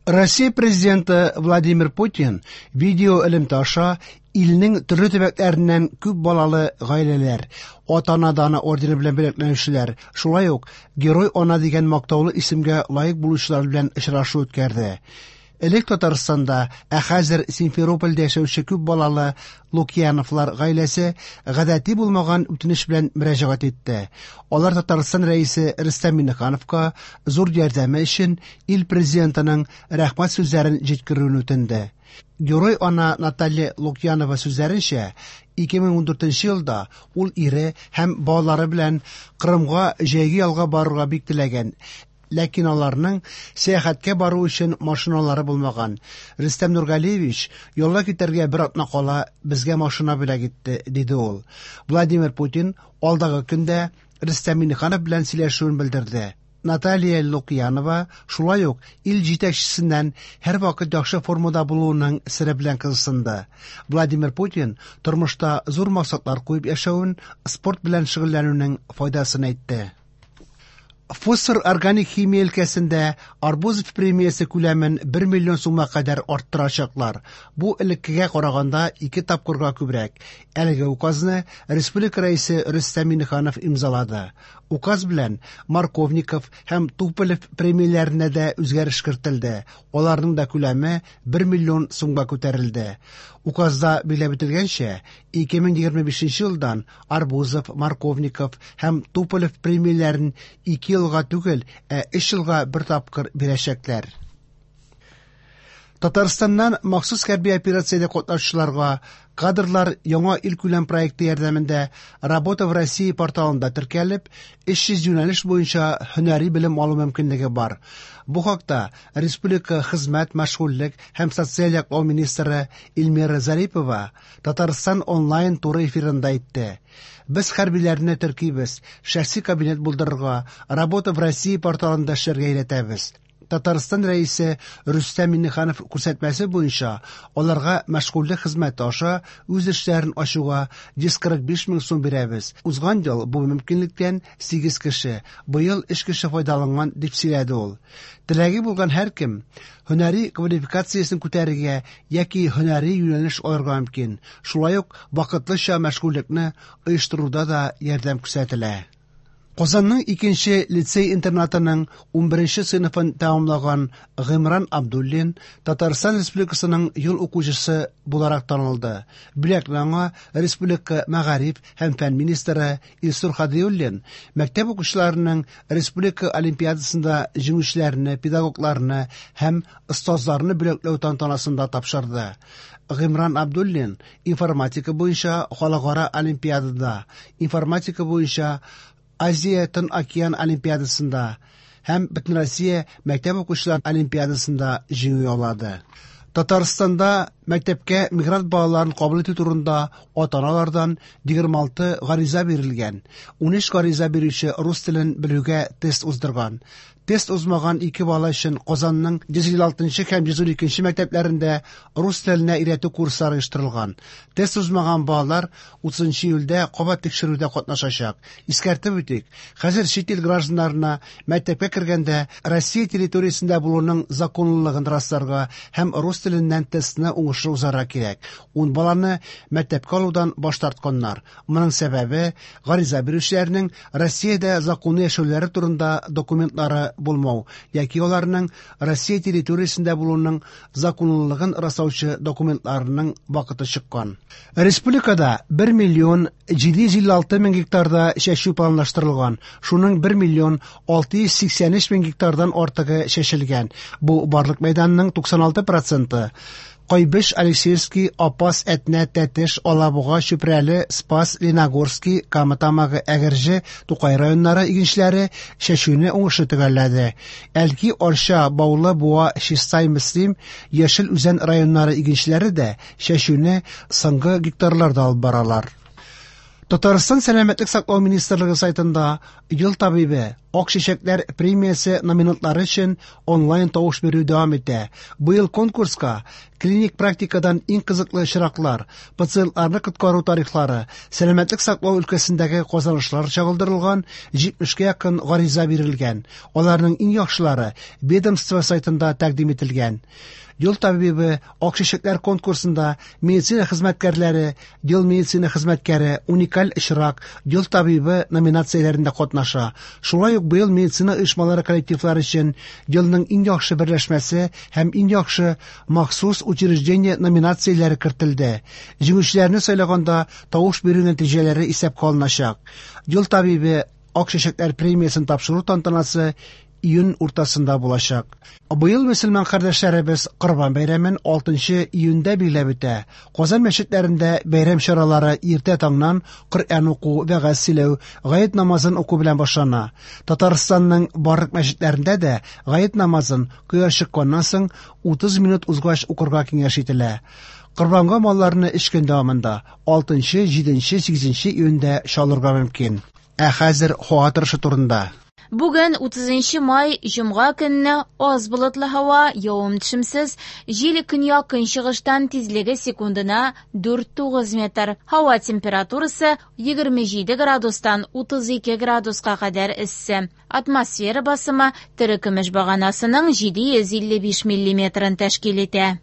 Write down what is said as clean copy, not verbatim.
Россия Президенты Владимир Путин видео элемтә аша илнең төрле төбәкләреннән күп балалы гаиләләр, Ата-ана даны ордены белән бүләкләнүчеләр, шулай ук Герой ана дигән мактаулы исемгә лаек булучылар белән очрашу үткәрде. Элек Татарстанда, ә хәзер Симферопольдә яшәүче күп балалы Лукьяновлар гаиләсе гадәти булмаган үтенеч белән мөрәҗәгать итте. Алар Татарстан Рәисе Рөстәм Миңнехановка зур ярдәме өчен ил Президентының рәхмәт сүзләрен җиткерүен үтенде. Герой ана Наталья Лукьянова сүзләренчә, 2014 елда ул ире һәм балалары белән Кырымга җәйге ялга барырга бик теләгән, ләкин аларның сәяхәткә бару өчен машиналары булмаган. Рөстәм Нургалиевич ялга китәргә бер атна кала безгә машина бүләк итте, диде ул. Владимир Путин алдагы көндә Рөстәм Миңнеханов белән сөйләшүен белдерде. Наталья Лукьянова шулай ук ил җитәкчесеннән һәрвакыт яхшы формада булуының сере белән кызыксынды. Владимир Путин тормышта зур максатлар куеп яшәвен, спорт белән шөгыльләнүнең файдасын әйтте. Фосфор органик химия өлкәсендә Арбузов премиясе күләмен 1 миллион сумга кадәр арттырачаклар. Бу элеккегә караганда ике тапкырга күбрәк. Әлеге указны республика Рәисе Рөстәм Миңнеханов имзалады. Указ белән Марковников һәм Туполев премияләренә дә үзгәреш кертелде. Аларның да күләме 1 миллион сумга күтәрелде. Указда билгеләп үтелгәнчә, 2025 елдан Арбузов, Марковников һәм Туполев премияләрен 2 елга түгел, ә 3 елга бер тапкыр бирәчәкләр. Татарстаннан махсус хәрби операциядә катнашучыларга кадрлар яңа илкүләм проекты ярдәмендә Работа в России порталында теркәлеп, 300 юнәлеш буенча һөнәри белем алу мөмкинлеге бар. Бу хакта республика хезмәт, мәшгульлек һәм социаль яклау министры Эльмира Зарипова Татарстан онлайн туры эфирында әйтте. Без хәрбиләрне теркибез, шәхси кабинет булдырырга, Работа в России порталында эшләргә өйрәтәбез. Татарстан Рәисе Рөстәм Миңнеханов күрсәтмәсе буенча аларга мәшгульлек хезмәте аша үз эшләрен ачуга 145 мең сум бирәбез. Узган ел бу мөмкинлектән 8 кеше, быел 3 кеше файдаланган, дип сөйләде ул. Теләге булган һәркем һөнәри квалификациясен күтәрергә яки һөнәри юнәлеш алырга мөмкин. Шулай ук вакытлыча мәшгульлекне оештыруда да ярдәм күрсәтелә. Казанның икенче лицей-интернатының 11 сыйныфын тәмамлаган Гыймран Абдуллин Татарстан Республикасының ел укучысы буларак танылды. Бүләкне аңа республика мәгариф һәм фән министры Илсур Һадиуллин мәктәп укучыларының республика олимпиадасында җиңүчеләрне, педагогларны һәм остазларны бүләкләү тантанасында тапшырды. Гыймран Абдуллин информатика буенча халыкара олимпиадада, информатика буенча Азия Тын океан олимпиадасында һәм Бөтенроссия мәктәп укучылар олимпиадасында җиңү яулады. Татарстанда мәктәпкә мигрант балаларын кабул итү турында ата-аналардан 26 гариза бирелгән. 13 гариза бирүче рус телен белүгә тест уздырган. Тест узмаган ике бала өчен Казанның 156 һәм 112 мәктәпләрендә рус теленә өйрәтү курслары оештырылган. Тест узмаган балалар 30 июльдә кабат тикшерүдә катнашачак. Искәртеп үтик, хәзер чит ил гражданнарына мәктәпкә кергәндә Россия территориясендә булуның законлылыгын расларга һәм рус теленнән тестны уңышлы узарга кирәк. 10 баланы мәктәпкә алудан баш тартканнар. Моның сәбәбе гариза бирүчеләрнең Россиядә законлы яшәүләре турында документлары булмау яки аларның Россия территориясендә булуның законлылыгын раслаучы документларының вакыты чыккан. Республикада 1 миллион 756 мең гектарда чәчү планлаштырылган. Шуның 1 миллион 683 мең гектардан артыгы чәчелгән. Бу барлык мәйданның 96 проценты. Кайбыч, Алексеевский, Апас, Әтнә, Тәтеш, Алабуга, Чүпрәле, Спас, Леногорский, Кама Тамагы, Әгерҗе, Тукай районнары игенчеләре чәчүне уңышлы төгәлләде. Әлки, Арча, Баулы, Буа, Чистай, Мөслим, Яшел Үзән районнары игенчеләре дә чәчүне соңгы гектарларда алып баралар. Татарстан Сәламәтлек саклау министрлыгы сайтында Ел табибы Ак чәчәкләр премиясе номинантлары өчен онлайн тавыш бирү дәвам итә. Быел конкурска клиник практикадан иң кызыклы очраклар, пациентларны коткару тарихлары, сәламәтлек саклау өлкәсендәге казанышлар чагылдырылган 70кә якын гариза бирелгән. Аларның иң яхшылары ведомство сайтында тәкъдим ителгән. Ел табибы Ак чәчәкләр конкурсында медицина хезмәткәрләре, Ел медицина хезмәткәре, Уникаль очрак, Ел табибы номинацияләрендә катнаша. Шулай ук быел медицина оешмалары коллективлары өчен Елның иң яхшы берләшмәсе һәм Иң яхшы махсус учреждение номинацияләре кертелде. Җиңүчеләрне сайлаганда тавыш бирү нәтиҗәләре исәпкә алыначак. Ел табибы Ак чәчәкләр премиясен тапшыру тантанасы июнь уртасында булачак. Быел мөселман кардәшләребез Корбан бәйрәмен 6 июньдә билгеләп үтә. Казан мәчетләрендә бәйрәм чаралары иртә таңнан Коръән уку, вәгазь сөйләү, гает намазын уку белән башлана. Татарстанның барлык мәчетләрендә дә гает намазын кояш чыкканнан соң 30 минут узгач укырга киңәш ителә. Корбанга малларны өч көн дәвамында 6, 7, 8 июньдә чалырга мөмкин. Ә хәзер һава торышы турында. Бүген 30 май, җомга көнне аз болытлы һава, явым-төшемсез, җил көньяк-көнчыгыштан тизлеге секундына 4-9 метр. Һава температурасы 27 градустан 32 градуска кадәр эссе. Атмосфера басымы терекөмеш баганасының 755 миллиметрын тәшкил итә.